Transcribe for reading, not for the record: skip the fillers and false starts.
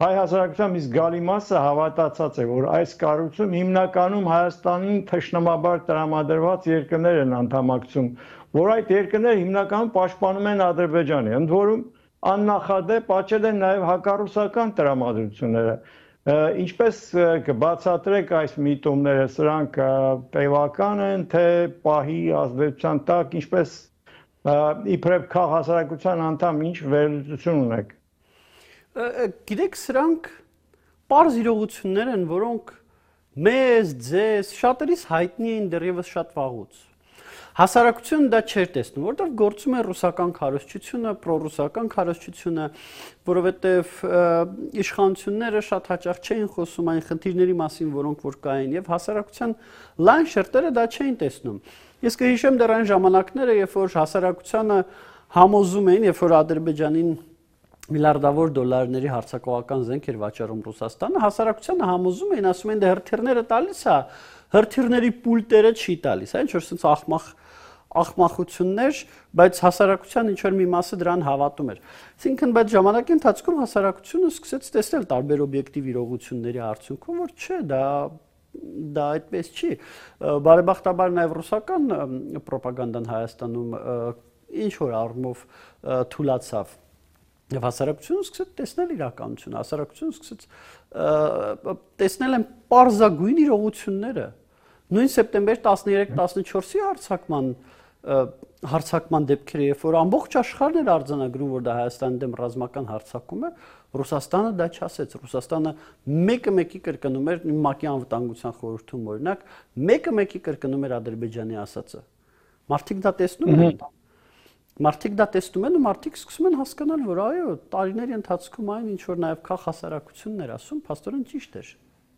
հայ հասարակության մի զգալի մասը հավատացած է, որ այս կառույցում հիմնականում Հայաստանին թշնամաբար տրամադրված երկրներ են անդամակցում, որ այդ երկրները հիմնականում պաշտպանում են Ադրբեջանը, ընդ որում աննախադեպ աճել են նաև հակառուսական տրամադրությունները։ Ինչպես կբացատրեք այս միտումները, սրանք տևական են, թե պահի ազդեցության տակ, ինչպես իբրև քաղաքացիական անդամ ինչ վերլուծություն ունեք։ Գիտեք, սրանք պարզ իրողություններ են, որոնք մեզ, ձեզ, շատերիս հայտնի են դեռևս շատ վաղուց։ Հասարակությունը դա չէր տեսնում, որտեղ գործում է ռուսական քարոզչությունը, պրոռուսական քարոզչությունը, որովհետև իշխանությունները շատ հաճախ չէին խոսում այն խնդիրների մասին, որոնք որ կային, եւ հասարակության լայն շերտերը դա չէին տեսնում։ Ես կհիշեմ դեռ այն ժամանակները, երբ որ հասարակությանը համոզում էին, երբ որ Ադրբեջանին միլիարդավոր դոլարների հարձակողական զենք էր վաճառում Ռուսաստանը, հասարակությանը համոզում էին, ասում են դե հրթիռները տալիս է, հրթիռների պուլտերը չի տալիս, այն ինչ-որ sense ախմախություններ, բայց հասարակության ինչ-որ մի մասը դրան հավատում էր։ Այսինքն, բայց ժամանակի ընթացքում հասարակությունը սկսեց տեսնել տարբեր օբյեկտիվ իրողությունների արդյունքում, որ չէ, դա այդպես չի։ Բարեբախտաբար նաև ռուսական ռոպագանդան Հայաստանում ինչ որ առումով թուլացավ։ Եվ հասարակությունը սկսեց տեսնել իրականությունը, հասարակությունը սկսեց տեսնել են պարզագույն իրողությունները։ Նույն սեպտեմբեր 13-14-ի հարձակման դեպքերը, երբ որ ամբողջ աշխարհն էր արձանագրում, որ դա Հայաստանի դեմ ռազմական հարձակում է, Ռուսաստանը դա չասեց։ Ռուսաստանը մեկը կրկնում էր ՄԱԿ-ի անվտանգության խորհրդում օրինակ, մեկը կրկնում էր Ադրբեջանի ասածը։ Մարդիկ դա տեսնում են։ Մարդիկ դա տեսնում են ու մարդիկ սկսում են հասկանալ, որ այո, տարիների ընթացքում այն ինչ որ նաև քաղաքասարակությունն էր ասում, փաստորեն ճիշտ էր։